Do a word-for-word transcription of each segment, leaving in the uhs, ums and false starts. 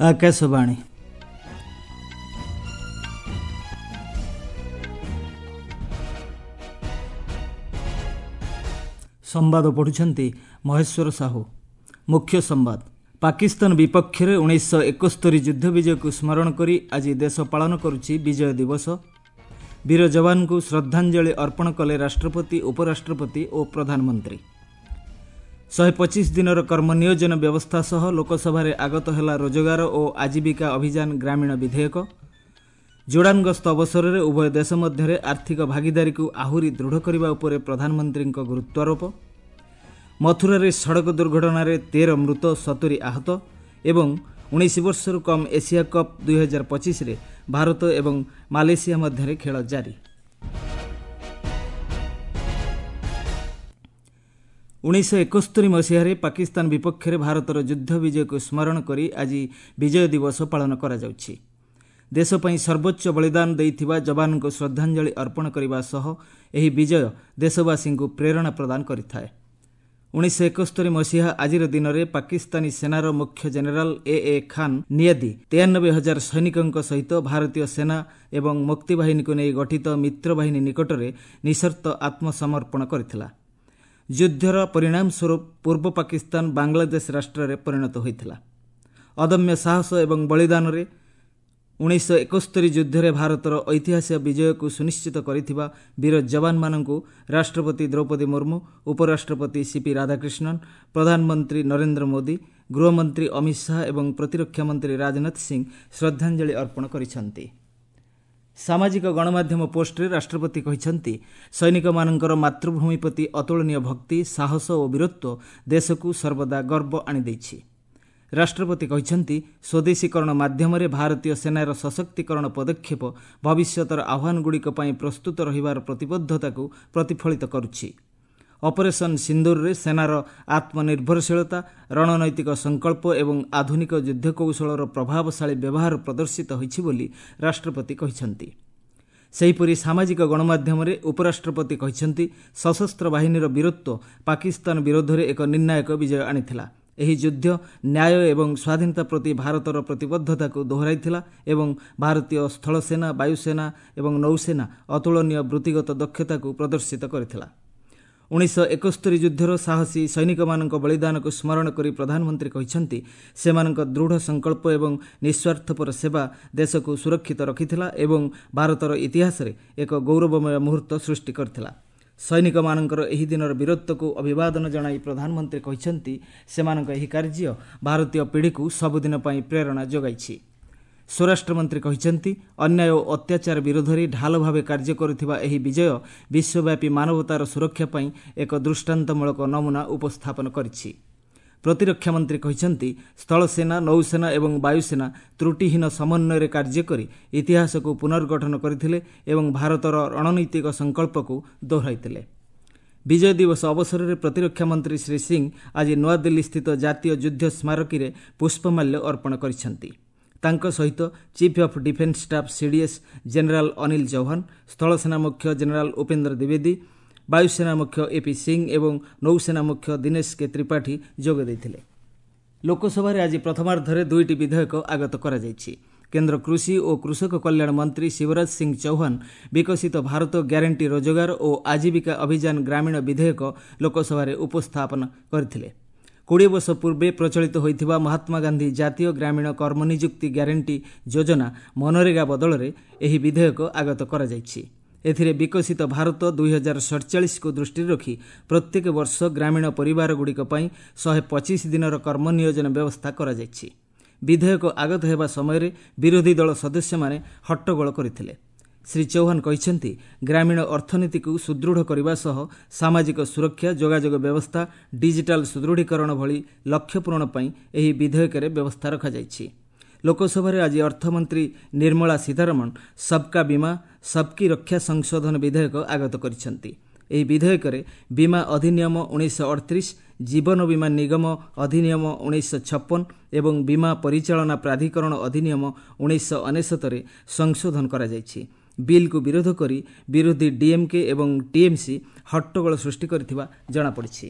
ଆକାଶବାଣୀ। ସମ୍ବାଦ ପଢ଼ୁଛନ୍ତି ମହେଶ୍ୱର ସାହୁ। ମୁଖ୍ୟ ସମ୍ବାଦ। ପାକିସ୍ତାନ ବିପକ୍ଷରେ ଉଣେଇଶହ ଏକସ୍ତରୀ ଯୁଦ୍ଧ ବିଜୟକୁ ସ୍ମରଣ କରି ଆଜି ଦେଶ ପାଳନ କରୁଛି ବିଜୟ ଦିବସ। ବୀର ଯବାନଙ୍କୁ ଶ୍ରଦ୍ଧାଞ୍ଜଳି ଅର୍ପଣ କଲେ ରାଷ୍ଟ୍ରପତି, ଉପରାଷ୍ଟ୍ରପତି ଓ ପ୍ରଧାନମନ୍ତ୍ରୀ। ଶହେ ପଚିଶ ଦିନର କର୍ମ ନିୟୋଜନ ବ୍ୟବସ୍ଥା ସହ ଲୋକସଭାରେ ଆଗତ ହେଲା ରୋଜଗାର ଓ ଆଜୀବିକା ଅଭିଯାନ ଗ୍ରାମୀଣ ବିଧେୟକ। ଜୋର୍ଡାନ ଗସ୍ତ ଅବସରରେ ଉଭୟ ଦେଶ ମଧ୍ୟରେ ଆର୍ଥିକ ଭାଗିଦାରୀକୁ ଆହୁରି ଦୃଢ଼ କରିବା ଉପରେ ପ୍ରଧାନମନ୍ତ୍ରୀଙ୍କ ଗୁରୁତ୍ୱାରୋପ। ମଥୁରାରେ ସଡ଼କ ଦୁର୍ଘଟଣାରେ ତେର ମୃତ, ସତୁରି ଆହତ ଏବଂ ଉଣେଇଶ ବର୍ଷରୁ କମ୍ ଏସିଆ କପ୍ ଦୁଇହଜାର ପଚିଶରେ ଭାରତ ଏବଂ ମାଲେସିଆ ମଧ୍ୟରେ ଖେଳ ଜାରି। ଉଣେଇଶହ ଏକସ୍ତରୀ ମସିହାରେ ପାକିସ୍ତାନ ବିପକ୍ଷରେ ଭାରତର ଯୁଦ୍ଧ ବିଜୟକୁ ସ୍ମରଣ କରି ଆଜି ବିଜୟ ଦିବସ ପାଳନ କରାଯାଉଛି। ଦେଶ ପାଇଁ ସର୍ବୋଚ୍ଚ ବଳିଦାନ ଦେଇଥିବା ଯବାନଙ୍କୁ ଶ୍ରଦ୍ଧାଞ୍ଜଳି ଅର୍ପଣ କରିବା ସହ ଏହି ବିଜୟ ଦେଶବାସୀଙ୍କୁ ପ୍ରେରଣା ପ୍ରଦାନ କରିଥାଏ। ଉଣେଇଶହ ଏକସ୍ତରୀ ମସିହା ଆଜିର ଦିନରେ ପାକିସ୍ତାନୀ ସେନାର ମୁଖ୍ୟ ଜେନେରାଲ ଏ ଏ ଖାନ୍ ନିଆଦି ତେୟାନବେ ହଜାର ସୈନିକଙ୍କ ସହିତ ଭାରତୀୟ ସେନା ଏବଂ ମୁକ୍ତିବାହିନୀକୁ ନେଇ ଗଠିତ ମିତ୍ରବାହିନୀ ନିକଟରେ ନିଃସର୍ତ୍ତ ଆତ୍ମସମର୍ପଣ କରିଥିଲା। ଯୁଦ୍ଧର ପରିଣାମ ସ୍ୱରୂପ ପୂର୍ବ ପାକିସ୍ତାନ ବାଂଲାଦେଶ ରାଷ୍ଟ୍ରରେ ପରିଣତ ହୋଇଥିଲା। ଅଦମ୍ୟ ସାହସ ଏବଂ ବଳିଦାନରେ ଉଣେଇଶହ ଏକସ୍ତରୀ ଯୁଦ୍ଧରେ ଭାରତର ଐତିହାସିକ ବିଜୟକୁ ସୁନିଶ୍ଚିତ କରିଥିବା ବୀର ଯବାନମାନଙ୍କୁ ରାଷ୍ଟ୍ରପତି ଦ୍ରୌପଦୀ ମୁର୍ମୁ, ଉପରାଷ୍ଟ୍ରପତି ସିପି ରାଧାକ୍ରିଷ୍ଣନ, ପ୍ରଧାନମନ୍ତ୍ରୀ ନରେନ୍ଦ୍ର ମୋଦି, ଗୃହମନ୍ତ୍ରୀ ଅମିତ ଶାହା ଏବଂ ପ୍ରତିରକ୍ଷା ମନ୍ତ୍ରୀ ରାଜନାଥ ସିଂ ଶ୍ରଦ୍ଧାଞ୍ଜଳି ଅର୍ପଣ କରିଛନ୍ତି। ସାମାଜିକ ଗଣମାଧ୍ୟମ ପୋଷ୍ଟରେ ରାଷ୍ଟ୍ରପତି କହିଛନ୍ତି, ସୈନିକମାନଙ୍କର ମାତୃଭୂମି ପ୍ରତି ଅତୁଳନୀୟ ଭକ୍ତି, ସାହସ ଓ ବୀରତ୍ୱ ଦେଶକୁ ସର୍ବଦା ଗର୍ବ ଆଣିଦେଇଛି। ରାଷ୍ଟ୍ରପତି କହିଛନ୍ତି, ସ୍ୱଦେଶୀକରଣ ମାଧ୍ୟମରେ ଭାରତୀୟ ସେନାର ସଶକ୍ତିକରଣ ପଦକ୍ଷେପ ଭବିଷ୍ୟତର ଆହ୍ୱାନଗୁଡ଼ିକ ପାଇଁ ପ୍ରସ୍ତୁତ ରହିବାର ପ୍ରତିବଦ୍ଧତାକୁ ପ୍ରତିଫଳିତ କରୁଛି। ଅପରେସନ୍ ସିନ୍ଦୁରରେ ସେନାର ଆତ୍ମନିର୍ଭରଶୀଳତା, ରଣନୈତିକ ସଂକଳ୍ପ ଏବଂ ଆଧୁନିକ ଯୁଦ୍ଧକୌଶଳର ପ୍ରଭାବଶାଳୀ ବ୍ୟବହାର ପ୍ରଦର୍ଶିତ ହୋଇଛି ବୋଲି ରାଷ୍ଟ୍ରପତି କହିଛନ୍ତି। ସେହିପରି ସାମାଜିକ ଗଣମାଧ୍ୟମରେ ଉପରାଷ୍ଟ୍ରପତି କହିଛନ୍ତି, ସଶସ୍ତ୍ର ବାହିନୀର ବୀରତ୍ୱ ପାକିସ୍ତାନ ବିରୋଧରେ ଏକ ନିର୍ଣ୍ଣାୟକ ବିଜୟ ଆଣିଥିଲା। ଏହି ଯୁଦ୍ଧ ନ୍ୟାୟ ଏବଂ ସ୍ୱାଧୀନତା ପ୍ରତି ଭାରତର ପ୍ରତିବଦ୍ଧତାକୁ ଦୋହରାଇଥିଲା ଏବଂ ଭାରତୀୟ ସ୍ଥଳସେନା, ବାୟୁସେନା ଏବଂ ନୌସେନା ଅତୁଳନୀୟ ବୃତ୍ତିଗତ ଦକ୍ଷତାକୁ ପ୍ରଦର୍ଶିତ କରିଥିଲା। ଉଣେଇଶହ ଏକସ୍ତରୀ ଯୁଦ୍ଧର ସାହସୀ ସୈନିକମାନଙ୍କ ବଳିଦାନକୁ ସ୍ମରଣ କରି ପ୍ରଧାନମନ୍ତ୍ରୀ କହିଛନ୍ତି, ସେମାନଙ୍କ ଦୃଢ଼ ସଂକଳ୍ପ ଏବଂ ନିଃସ୍ୱାର୍ଥପର ସେବା ଦେଶକୁ ସୁରକ୍ଷିତ ରଖିଥିଲା ଏବଂ ଭାରତର ଇତିହାସରେ ଏକ ଗୌରବମୟ ମୁହୂର୍ତ୍ତ ସୃଷ୍ଟି କରିଥିଲା। ସୈନିକମାନଙ୍କର ଏହି ଦିନର ବୀରତ୍ୱକୁ ଅଭିବାଦନ ଜଣାଇ ପ୍ରଧାନମନ୍ତ୍ରୀ କହିଛନ୍ତି, ସେମାନଙ୍କ ଏହି କାର୍ଯ୍ୟ ଭାରତୀୟ ପିଢ଼ିକୁ ସବୁଦିନ ପାଇଁ ପ୍ରେରଣା ଯୋଗାଇଛି। ସ୍ୱରାଷ୍ଟ୍ରମନ୍ତ୍ରୀ କହିଛନ୍ତି, ଅନ୍ୟାୟ ଓ ଅତ୍ୟାଚାର ବିରୋଧରେ ଢାଲ ଭାବେ କାର୍ଯ୍ୟ କରୁଥିବା ଏହି ବିଜୟ ବିଶ୍ୱବ୍ୟାପୀ ମାନବତାର ସୁରକ୍ଷା ପାଇଁ ଏକ ଦୃଷ୍ଟାନ୍ତମୂଳକ ନମୁନା ଉପସ୍ଥାପନ କରିଛି। ପ୍ରତିରକ୍ଷା ମନ୍ତ୍ରୀ କହିଛନ୍ତି, ସ୍ଥଳସେନା, ନୌସେନା ଏବଂ ବାୟୁସେନା ତ୍ରୁଟିହୀନ ସମନ୍ୱୟରେ କାର୍ଯ୍ୟ କରି ଇତିହାସକୁ ପୁନର୍ଗଠନ କରିଥିଲେ ଏବଂ ଭାରତର ରଣନୈତିକ ସଂକଳ୍ପକୁ ଦୋହରାଇଥିଲେ। ବିଜୟ ଦିବସ ଅବସରରେ ପ୍ରତିରକ୍ଷା ମନ୍ତ୍ରୀ ଶ୍ରୀ ସିଂ ଆଜି ନୂଆଦିଲ୍ଲୀସ୍ଥିତ ଜାତୀୟ ଯୁଦ୍ଧ ସ୍ମାରକୀରେ ପୁଷ୍ପମାଲ୍ୟ ଅର୍ପଣ କରିଛନ୍ତି। ତାଙ୍କ ସହିତ chief of defence staff CDS general Anil Chauhan, ସ୍ଥଳସେନା ମୁଖ୍ୟ ଜେନେରାଲ ଉପେନ୍ଦ୍ର ଦ୍ୱିବେଦୀ, ବାୟୁସେନା ମୁଖ୍ୟ ଏପି ସିଂ ଏବଂ ନୌସେନା ମୁଖ୍ୟ ଦିନେଶ କେ ତ୍ରିପାଠୀ ଯୋଗ ଦେଇଥିଲେ। ଲୋକସଭାରେ ଆଜି ପ୍ରଥମାର୍ଦ୍ଧରେ ଦୁଇଟି ବିଧେୟକ ଆଗତ କରାଯାଇଛି। କେନ୍ଦ୍ର କୃଷି ଓ କୃଷକ କଲ୍ୟାଣ ମନ୍ତ୍ରୀ ଶିବରାଜ ସିଂ ଚୌହାନ ବିକଶିତ ଭାରତ ଗ୍ୟାରେଣ୍ଟି ରୋଜଗାର ଓ ଆଜୀବିକା ଅଭିଯାନ ଗ୍ରାମୀଣ ବିଧେୟକ ଲୋକସଭାରେ ଉପସ୍ଥାପନ କରିଥିଲେ। କୋଡ଼ିଏ ବର୍ଷ ପୂର୍ବେ ପ୍ରଚଳିତ ହୋଇଥିବା ମହାତ୍ମା ଗାନ୍ଧୀ ଜାତୀୟ ଗ୍ରାମୀଣ କର୍ମନିଯୁକ୍ତି ଗ୍ୟାରେଣ୍ଟି ଯୋଜନା ମନରେଗା ବଦଳରେ ଏହି ବିଧେୟକ ଆଗତ କରାଯାଇଛି। ଏଥିରେ ବିକଶିତ ଭାରତ ଦୁଇ ହଜାର ସଡ଼ଚାଳିଶକୁ ଦୃଷ୍ଟିରେ ରଖି ପ୍ରତ୍ୟେକ ବର୍ଷ ଗ୍ରାମୀଣ ପରିବାରଗୁଡ଼ିକ ପାଇଁ ଶହେ ପଚିଶ ଦିନର କର୍ମ ନିୟୋଜନ ବ୍ୟବସ୍ଥା କରାଯାଇଛି। ବିଧେୟକ ଆଗତ ହେବା ସମୟରେ ବିରୋଧୀ ଦଳ ସଦସ୍ୟମାନେ ହଟ୍ଟଗୋଳ କରିଥିଲେ। ଶ୍ରୀ ଚୌହାନ କହିଛନ୍ତି, ଗ୍ରାମୀଣ ଅର୍ଥନୀତିକୁ ସୁଦୃଢ଼ କରିବା ସହ ସାମାଜିକ ସୁରକ୍ଷା, ଯୋଗାଯୋଗ ବ୍ୟବସ୍ଥା, ଡିଜିଟାଲ ସୁଦୃଢ଼ୀକରଣ ଭଳି ଲକ୍ଷ୍ୟ ପୂରଣ ପାଇଁ ଏହି ବିଧେୟକରେ ବ୍ୟବସ୍ଥା ରଖାଯାଇଛି। ଲୋକସଭାରେ ଆଜି ଅର୍ଥମନ୍ତ୍ରୀ ନିର୍ମଳା ସୀତାରମଣ ସବକା ବୀମା ସବକି ରକ୍ଷା ସଂଶୋଧନ ବିଧେୟକ ଆଗତ କରିଛନ୍ତି। ଏହି ବିଧେୟକରେ ବୀମା ଅଧିନିୟମ ଉଣେଇଶହ ଅଠତିରିଶ, ଜୀବନ ବୀମା ନିଗମ ଅଧିନିୟମ ଉଣେଇଶହ ଛପନ ଏବଂ ବୀମା ପରିଚାଳନା ପ୍ରାଧିକରଣ ଅଧିନିୟମ ଉଣେଇଶହ ଅନେଶତରେ ସଂଶୋଧନ କରାଯାଇଛି। ବିଲ୍କୁ ବିରୋଧ କରି ବିରୋଧୀ ଡିଏମ୍କେ ଏବଂ ଟିଏମ୍ସି ହଟ୍ଟଗୋଳ ସୃଷ୍ଟି କରିଥିବା ଜଣାପଡ଼ିଛି।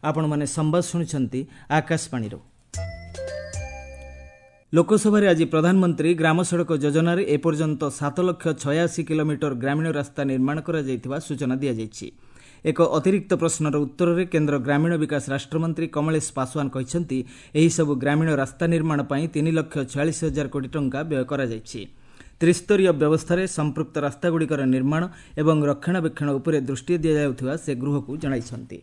ଆପଣମାନେ ସମ୍ବାଦ ଶୁଣୁଛନ୍ତି ଆକାଶବାଣୀରୁ। ଲୋକସଭାରେ ଆଜି ପ୍ରଧାନମନ୍ତ୍ରୀ ଗ୍ରାମ ସଡ଼କ ଯୋଜନାରେ ଏପର୍ଯ୍ୟନ୍ତ ସାତ ଲକ୍ଷ ଛୟାଅଶୀ କିଲୋମିଟର ଗ୍ରାମୀଣ ରାସ୍ତା ନିର୍ମାଣ କରାଯାଇଥିବା ସୂଚନା ଦିଆଯାଇଛି। ଏକ ଅତିରିକ୍ତ ପ୍ରଶ୍ନର ଉତ୍ତରରେ କେନ୍ଦ୍ର ଗ୍ରାମୀଣ ବିକାଶ ରାଷ୍ଟ୍ରମନ୍ତ୍ରୀ କମଳେଶ ପାଶୱାନ କହିଛନ୍ତି, ଏହିସବୁ ଗ୍ରାମୀଣ ରାସ୍ତା ନିର୍ମାଣ ପାଇଁ ତିନି ଲକ୍ଷ ଛୟାଳିଶ ହଜାର କୋଟି ଟଙ୍କା ବ୍ୟୟ କରାଯାଇଛି। ତ୍ରିସ୍ତରୀୟ ବ୍ୟବସ୍ଥାରେ ସମ୍ପୃକ୍ତ ରାସ୍ତାଗୁଡ଼ିକର ନିର୍ମାଣ ଏବଂ ରକ୍ଷଣାବେକ୍ଷଣ ଉପରେ ଦୃଷ୍ଟି ଦିଆଯାଉଥିବା ସେ ଗୃହକୁ ଜଣାଇଛନ୍ତି।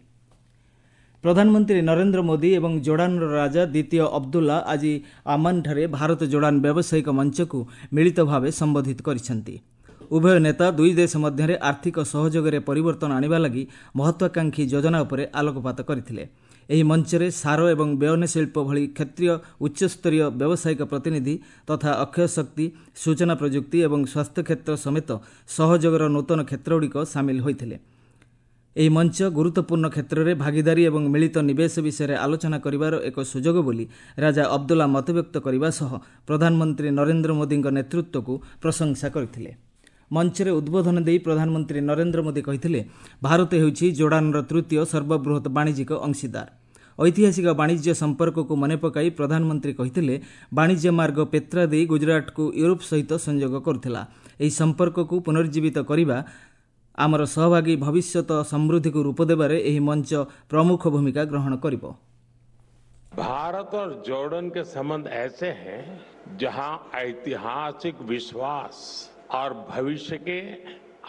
ପ୍ରଧାନମନ୍ତ୍ରୀ ନରେନ୍ଦ୍ର ମୋଦି ଏବଂ ଜୋର୍ଡାନର ରାଜା ଦ୍ୱିତୀୟ ଅବଦୁଲ୍ଲା ଆଜି ଆମାନଠାରେ ଭାରତ ଜୋର୍ଡାନ ବ୍ୟବସାୟିକ ମଞ୍ଚକୁ ମିଳିତ ଭାବେ ସମ୍ବୋଧିତ କରିଛନ୍ତି। ଉଭୟ ନେତା ଦୁଇ ଦେଶ ମଧ୍ୟରେ ଆର୍ଥିକ ସହଯୋଗରେ ପରିବର୍ତ୍ତନ ଆଣିବା ଲାଗି ମହତ୍ୱାକାଂକ୍ଷୀ ଯୋଜନା ଉପରେ ଆଲୋକପାତ କରିଥିଲେ। ଏହି ମଞ୍ଚରେ ସାର ଏବଂ ବୟନ ଶିଳ୍ପ ଭଳି କ୍ଷେତ୍ରୀୟ ଉଚ୍ଚସ୍ତରୀୟ ବ୍ୟବସାୟିକ ପ୍ରତିନିଧି ତଥା ଅକ୍ଷୟ ଶକ୍ତି, ସୂଚନା ପ୍ରଯୁକ୍ତି ଏବଂ ସ୍ୱାସ୍ଥ୍ୟ କ୍ଷେତ୍ର ସମେତ ସହଯୋଗର ନୂତନ କ୍ଷେତ୍ରଗୁଡ଼ିକ ସାମିଲ ହୋଇଥିଲେ। ଏହି ମଞ୍ଚ ଗୁରୁତ୍ୱପୂର୍ଣ୍ଣ କ୍ଷେତ୍ରରେ ଭାଗିଦାରୀ ଏବଂ ମିଳିତ ନିବେଶ ବିଷୟରେ ଆଲୋଚନା କରିବାର ଏକ ସୁଯୋଗ ବୋଲି ରାଜା ଅବଦୁଲ୍ଲା ମତବ୍ୟକ୍ତ କରିବା ସହ ପ୍ରଧାନମନ୍ତ୍ରୀ ନରେନ୍ଦ୍ର ମୋଦିଙ୍କ ନେତୃତ୍ୱକୁ ପ୍ରଶଂସା କରିଥିଲେ। ମଞ୍ଚରେ ଉଦ୍ବୋଧନ ଦେଇ ପ୍ରଧାନମନ୍ତ୍ରୀ ନରେନ୍ଦ୍ର ମୋଦି କହିଥିଲେ, ଭାରତ ହେଉଛି ଜୋର୍ଡାନର ତୃତୀୟ ସର୍ବବୃହତ୍ ବାଣିଜ୍ୟିକ ଅଂଶୀଦାର। ଐତିହାସିକ ବାଣିଜ୍ୟ ସମ୍ପର୍କକୁ ମନେ ପକାଇ ପ୍ରଧାନମନ୍ତ୍ରୀ କହିଥିଲେ, ବାଣିଜ୍ୟ ମାର୍ଗ ପେତ୍ରା ଦେଇ ଗୁଜରାଟକୁ ୟୁରୋପ ସହିତ ସଂଯୋଗ କରୁଥିଲା। ଏହି ସମ୍ପର୍କକୁ ପୁନର୍ଜୀବିତ କରିବା ଆମର ସହଭାଗୀ ଭବିଷ୍ୟତ ସମୃଦ୍ଧିକୁ ରୂପ ଦେବାରେ ଏହି ମଞ୍ଚ ପ୍ରମୁଖ ଭୂମିକା ଗ୍ରହଣ କରିବ। भारत और जॉर्डन के संबंध ऐसे हैं जहां ऐतिहासिक विश्वास और भविष्य के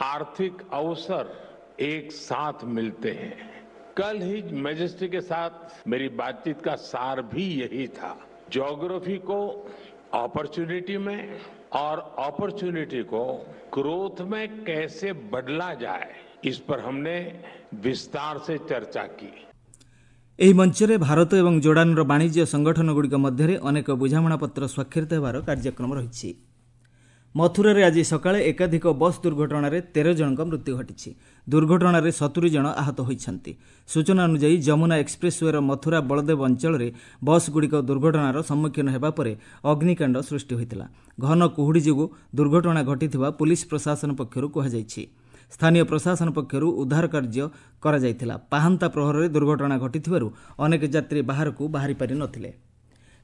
आर्थिक अवसर एक साथ मिलते हैं। कल ही मैजेस्टी के साथ मेरी बातचीत का सार भी यही था। ज्योग्राफी को अपॉर्चुनिटी में और अपॉर्चुनिटी को ग्रोथ में कैसे बदला जाए, इस पर हमने विस्तार से चर्चा की। ଏହି ମଞ୍ଚରେ ଭାରତ ଏବଂ ଜୋର୍ଡାନର ବାଣିଜ୍ୟ ସଂଗଠନଗୁଡ଼ିକ ମଧ୍ୟରେ ଅନେକ ବୁଝାମଣାପତ୍ର ସ୍ୱାକ୍ଷରିତ ହେବାର କାର୍ଯ୍ୟକ୍ରମ ରହିଛି। ମଥୁରାରେ ଆଜି ସକାଳେ ଏକାଧିକ ବସ୍ ଦୁର୍ଘଟଣାରେ ତେର ଜଣଙ୍କ ମୃତ୍ୟୁ ଘଟିଛି। ଦୁର୍ଘଟଣାରେ ସତୁରି ଜଣ ଆହତ ହୋଇଛନ୍ତି। ସୂଚନା ଅନୁଯାୟୀ ଯମୁନା ଏକ୍ସପ୍ରେସ୍ୱେର ମଥୁରା ବଳଦେବ ଅଞ୍ଚଳରେ ବସ୍ଗୁଡ଼ିକ ଦୁର୍ଘଟଣାର ସମ୍ମୁଖୀନ ହେବା ପରେ ଅଗ୍ନିକାଣ୍ଡ ସୃଷ୍ଟି ହୋଇଥିଲା। ଘନ କୁହୁଡ଼ି ଯୋଗୁଁ ଦୁର୍ଘଟଣା ଘଟିଥିବା ପୁଲିସ୍ ପ୍ରଶାସନ ପକ୍ଷରୁ କୁହାଯାଇଛି। ସ୍ଥାନୀୟ ପ୍ରଶାସନ ପକ୍ଷରୁ ଉଦ୍ଧାର କାର୍ଯ୍ୟ କରାଯାଇଥିଲା। ପାହାନ୍ତା ପ୍ରହରରେ ଦୁର୍ଘଟଣା ଘଟିଥିବାରୁ ଅନେକ ଯାତ୍ରୀ ବାହାରକୁ ବାହାରି ପାରିନଥିଲେ।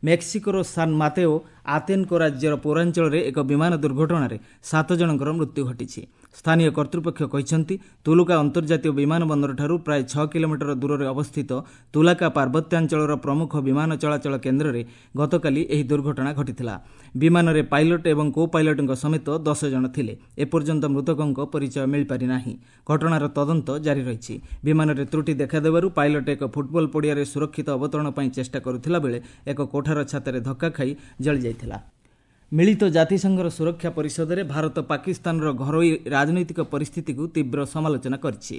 ମେକ୍ସିକୋର ସାନ୍ ମାତେଓ ଆତେନକୋ ରାଜ୍ୟର ପୌରାଞ୍ଚଳରେ ଏକ ବିମାନ ଦୁର୍ଘଟଣାରେ ସାତ ଜଣଙ୍କର ମୃତ୍ୟୁ ଘଟିଛି। ସ୍ଥାନୀୟ କର୍ତ୍ତୃପକ୍ଷ କହିଛନ୍ତି, ତୁଲୁକା ଅନ୍ତର୍ଜାତୀୟ ବିମାନ ବନ୍ଦରଠାରୁ ପ୍ରାୟ ଛଅ କିଲୋମିଟର ଦୂରରେ ଅବସ୍ଥିତ ତୁଲାକା ପାର୍ବତ୍ୟାଞ୍ଚଳର ପ୍ରମୁଖ ବିମାନ ଚଳାଚଳ କେନ୍ଦ୍ରରେ ଗତକାଲି ଏହି ଦୁର୍ଘଟଣା ଘଟିଥିଲା। ବିମାନରେ ପାଇଲଟ ଏବଂ କୋ ପାଇଲଟଙ୍କ ସମେତ ଦଶ ଜଣ ଥିଲେ। ଏପର୍ଯ୍ୟନ୍ତ ମୃତକଙ୍କ ପରିଚୟ ମିଳିପାରିନାହିଁ। ଘଟଣାର ତଦନ୍ତ ଜାରି ରହିଛି। ବିମାନରେ ତ୍ରୁଟି ଦେଖାଦେବାରୁ ପାଇଲଟ ଏକ ଫୁଟବଲ ପଡ଼ିଆରେ ସୁରକ୍ଷିତ ଅବତରଣ ପାଇଁ ଚେଷ୍ଟା କରୁଥିଲା ବେଳେ ଏକ କୋଠାର ଛାତରେ ଧକ୍କା ଖାଇ ଜଳିଯାଇଥିଲା। ମିଳିତ ଜାତିସଂଘର ସୁରକ୍ଷା ପରିଷଦରେ ଭାରତ ପାକିସ୍ତାନର ଘରୋଇ ରାଜନୈତିକ ପରିସ୍ଥିତିକୁ ତୀବ୍ର ସମାଲୋଚନା କରିଛି।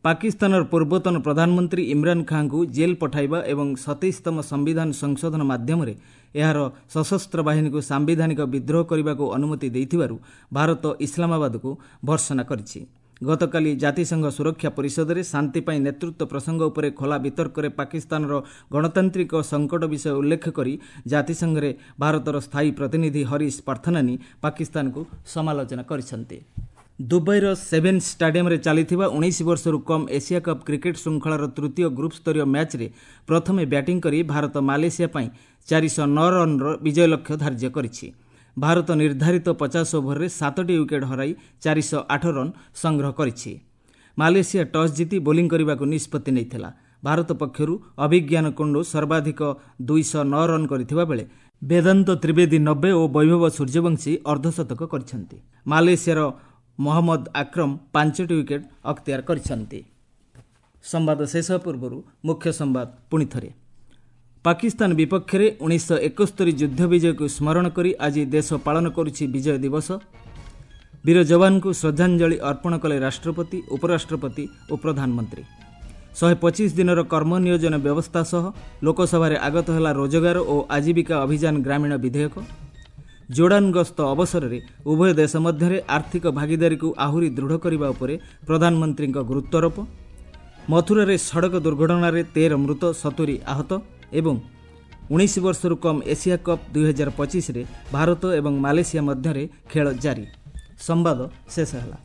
ପାକିସ୍ତାନର ପୂର୍ବତନ ପ୍ରଧାନମନ୍ତ୍ରୀ ଇମ୍ରାନ ଖାଁଙ୍କୁ ଜେଲ୍ ପଠାଇବା ଏବଂ ସତେଇଶତମ ସମ୍ବିଧାନ ସଂଶୋଧନ ମାଧ୍ୟମରେ ଏହାର ସଶସ୍ତ୍ର ବାହିନୀକୁ ସାମ୍ବିଧାନିକ ବିଦ୍ରୋହ କରିବାକୁ ଅନୁମତି ଦେଇଥିବାରୁ ଭାରତ ଇସଲାମାବାଦକୁ ଭର୍ତ୍ସନା କରିଛି। ଗତକାଲି ଜାତିସଂଘ ସୁରକ୍ଷା ପରିଷଦରେ ଶାନ୍ତି ପାଇଁ ନେତୃତ୍ୱ ପ୍ରସଙ୍ଗ ଉପରେ ଖୋଲା ବିତର୍କରେ ପାକିସ୍ତାନର ଗଣତାନ୍ତ୍ରିକ ସଙ୍କଟ ବିଷୟ ଉଲ୍ଲେଖ କରି ଜାତିସଂଘରେ ଭାରତର ସ୍ଥାୟୀ ପ୍ରତିନିଧି ହରିଶ ପାର୍ଥନାନୀ ପାକିସ୍ତାନକୁ ସମାଲୋଚନା କରିଛନ୍ତି। ଦୁବାଇର ସେଭେନ୍ ଷ୍ଟାଡିୟମରେ ଚାଲିଥିବା ଉଣେଇଶ ବର୍ଷରୁ କମ୍ ଏସିଆ କପ୍ କ୍ରିକେଟ୍ ଶୃଙ୍ଖଳାର ତୃତୀୟ ଗ୍ରୁପ୍ ସ୍ତରୀୟ ମ୍ୟାଚ୍ରେ ପ୍ରଥମେ ବ୍ୟାଟିଂ କରି ଭାରତ ମାଲେସିଆ ପାଇଁ ଚାରିଶହ ନଅ ରନ୍ର ବିଜୟ ଲକ୍ଷ୍ୟ ଧାର୍ଯ୍ୟ କରିଛି। ଭାରତ ନିର୍ଦ୍ଧାରିତ ପଚାଶ ଓଭରରେ ସାତଟି ୱିକେଟ୍ ହରାଇ ଚାରିଶହ ଆଠ ରନ୍ ସଂଗ୍ରହ କରିଛି। ମାଲେସିଆ ଟସ୍ ଜିତି ବୋଲିଂ କରିବାକୁ ନିଷ୍ପତ୍ତି ନେଇଥିଲା। ଭାରତ ପକ୍ଷରୁ ଅଭିଜ୍ଞାନ କୁଣ୍ଡୁ ସର୍ବାଧିକ ଦୁଇଶହ ନଅ ରନ୍ କରିଥିବା ବେଳେ ବେଦାନ୍ତ ତ୍ରିବେଦୀ ନବେ ଓ ବୈଭବ ସୂର୍ଯ୍ୟବଂଶୀ ଅର୍ଦ୍ଧଶତକ କରିଛନ୍ତି। ମାଲେସିଆର ମହମ୍ମଦ ଆକ୍ରମ ପାଞ୍ଚଟି ୱିକେଟ୍ ଅକ୍ତିଆର କରିଛନ୍ତି। ସମ୍ବାଦ ଶେଷ ପୂର୍ବରୁ ମୁଖ୍ୟ ସମ୍ବାଦ ପୁଣି ଥରେ। ପାକିସ୍ତାନ ବିପକ୍ଷରେ ଉଣେଇଶହ ଏକସ୍ତରୀ ଯୁଦ୍ଧ ବିଜୟକୁ ସ୍ମରଣ କରି ଆଜି ଦେଶ ପାଳନ କରୁଛି ବିଜୟ ଦିବସ। ବୀର ଯବାନଙ୍କୁ ଶ୍ରଦ୍ଧାଞ୍ଜଳି ଅର୍ପଣ କଲେ ରାଷ୍ଟ୍ରପତି, ଉପରାଷ୍ଟ୍ରପତି ଓ ପ୍ରଧାନମନ୍ତ୍ରୀ। ଶହେ ପଚିଶ ଦିନର କର୍ମ ନିୟୋଜନ ବ୍ୟବସ୍ଥା ସହ ଲୋକସଭାରେ ଆଗତ ହେଲା ରୋଜଗାର ଓ ଆଜୀବିକା ଅଭିଯାନ ଗ୍ରାମୀଣ ବିଧେୟକ। ଜୋର୍ଡାନ ଗସ୍ତ ଅବସରରେ ଉଭୟ ଦେଶ ମଧ୍ୟରେ ଆର୍ଥିକ ଭାଗିଦାରୀକୁ ଆହୁରି ଦୃଢ଼ କରିବା ଉପରେ ପ୍ରଧାନମନ୍ତ୍ରୀଙ୍କ ଗୁରୁତ୍ୱାରୋପ। ମଥୁରାରେ ସଡ଼କ ଦୁର୍ଘଟଣାରେ ତେର ମୃତ, ସତୁରି ଆହତ ଏବଂ ଉଣେଇଶ ବର୍ଷରୁ କମ୍ ଏସିଆ କପ୍ ଦୁଇହଜାର ପଚିଶରେ ଭାରତ ଏବଂ ମାଲେସିଆ ମଧ୍ୟରେ ଖେଳ ଜାରି। ସମ୍ବାଦ ଶେଷ ହେଲା।